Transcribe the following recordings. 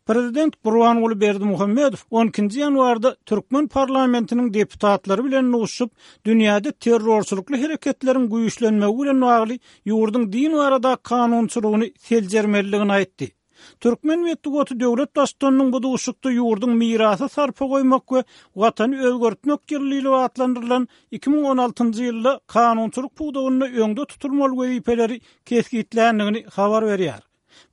Prezident Gurbanguly Berdimuhamedow on ikinji ýanwarda türkmen parlamentiniň deputatlary bilen duşuşyp, dünýäde terrorçylykly hereketleriň güýçlenmegi bilen bagly ýurduň din baradaky kanunçylygyny seljermelidigini aýtdy. Türkmen metbugaty döwlet Baştutanynyň bu duşuşykda ýurduň Mirasa sarpa goýmak we Watany özgertmek ýyly diýlip atlandyrylan 2016-njy ýylda kanunçylyk pudagynda öňde tutulmaly wezipeleri kesgitländigini habar berýär.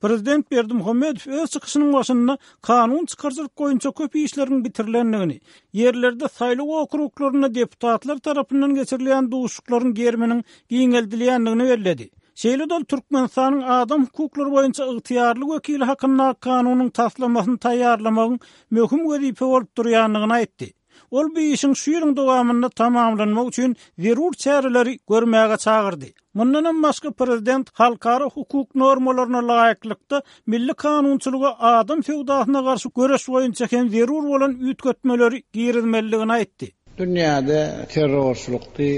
Prezident Berdimuhamedow öz çykyşynyň başynda kanun çykaryjylyk boýunça köp işleriň bitirilendigini, ýerlerde saýlaw okruglarynda deputatlar tarapyndan geçirilýän duşuşyklaryň geriminiň giňeldilýändigini belledi. Şeýle-de ol Türkmenistanyň adam hukuklary boýunça ygtyýarly wekili hakyndaky kanunyň taslamasyny taýýarlamagyň möhüm wezipe bolup durýandygyny aýtdy. Ol bu işiň şu ýylyň dowamynda tamamlanmagy üçin zerur çäreleri görmäge çagyrdy. Mundanam başga prezident halkara hukuk normalaryna laýyklykda milli kanunçylyga adam söwdasyna garşy göreş boýunça hem zerur bolan üýtgetmeleri girizmelidigini aýtdy. Dünýäde terrorçylykly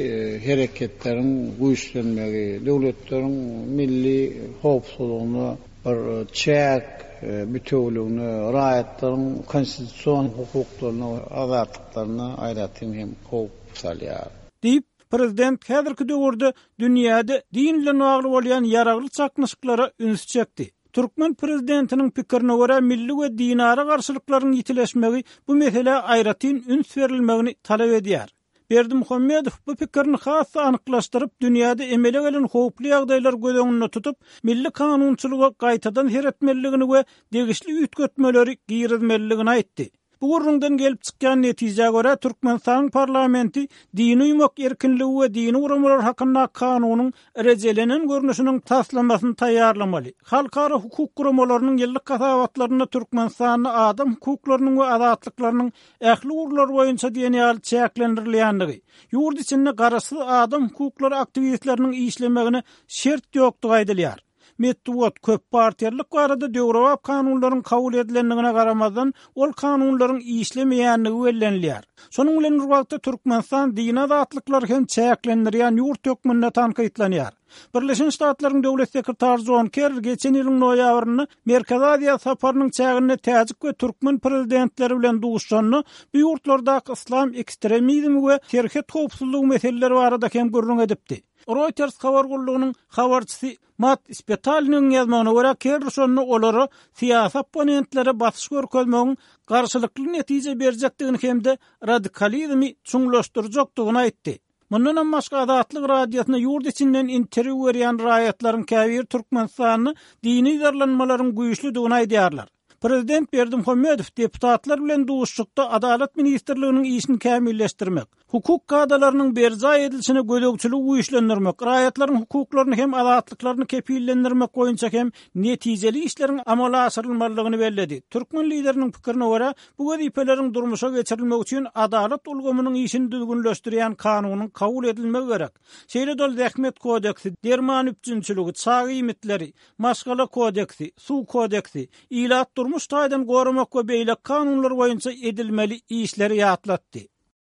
hereketleriň güýçlenmegi, döwletleriň milli howpsuzlygyna bir çäk bitewüligine, raýatlaryň konstitusion hukuklaryna we azatlyklaryna aýratyn hem howp salýar. Diýip, prezident häzirki döwürde dünýäde din bilen bagly bolýan ýaragly çaknyşyklara ünsi çekdi. Türkmen prezidentiniň pikirine görä, milli we dinara garşylyklaryň ýitileşmegi bu meselä aýratyn üns berilmegini talap edýär. Berdimuhamedow bu pikirini has-da anyklaşdyryp, dünýäde emele gelen howply ýagdaýlary göz öňünde tutup, milli kanunçylyga gaýtadan seretmelidigini we degişli üýtgetmeleri girizmelidigini aýtdy. Bu gürrüňden gelip çykýan netijä görä, Türkmenistanyň parlamenti dini uýmak erkinligi we dini guramalar hakyndaky kanunyň rejelenen görnüşiniň taslamasyny taýýarlamaly. Halkara hukuk guramalarynyň ýyllyk hasabatlarynda Türkmenistanda adam hukuklarynyň we azatlyklarynyň ähli ugurlar boýunça diýen ýaly çäklendirilýändigi, ýurt içinde garaşsyz adam hukuklary aktiwistleriniň işlemegine şert ýokdugy aýdylýar. Metbugat, köppartiýalylyk barada döwrebap kanunlaryň kabul edilendigine garamazdan, ol kanunlaryň işlemeýändigi bellenilýär. Şonuň bilen bir wagtda Türkmenistan dini azatlyklary hem çäklendirýän ýurt hökmünde tankytlanýar. Birleşen Ştatlaryň Döwlet sekretary Jon Kerri geçen ýylyň noýabrynda Merkezi Aziýa saparynyň çäginde täjik we türkmen prezidentleri bilen duşuşanda bu ýurtlardaky yslam ekstremizmi we serhet howpsuzlygy meseleleri barada hem gürrüň edipdi. Reuters habar gullugynyň habarçysy Matt Spetalnigiň ýazmagyna görä, Kerri şonda olara syýasy opponentlere basyş görkezmegiň garşylykly netije berjekdigini hem-de radikalizmi çuňlaşdyrjakdygyny aýtdy. Mundanam başga Azatlyk Radiosyna ýurt içinden interwýu berýän raýatlaryň käbiri Türkmenistanda dini yzarlanmalaryň güýçlüdigini aýdýarlar. Prezident Berdimuhamedow deputatlar bilen duşuşykda Adalat ministrliginiň işini kämilleşdirmek, hukuk kadalarynyň berjaý edilişine gözegçiligi güýçlendirmek, raýatlaryň hukuklaryny hem azatlyklaryny kepillendirmek boýunça hem netijeli işleriň amala aşyrylmalydygyny belledi. Türkmen lideriniň pikirine görä, Bu wezipeleriň durmuşa geçirilmegi üçin adalat ulgamynyň işini düzgünleşdirýän kanunyň kabul edilmegi gerek. Şeýle-de ol Zähmet kodeksi, derman üpjünçiligi, çaga iýmitleri, Maşgala kodeksi, Suw kodeksi, ilat durmuş taýdan goramak we beýleki kanunlar boýunça edilmeli işleri ýatlatdy.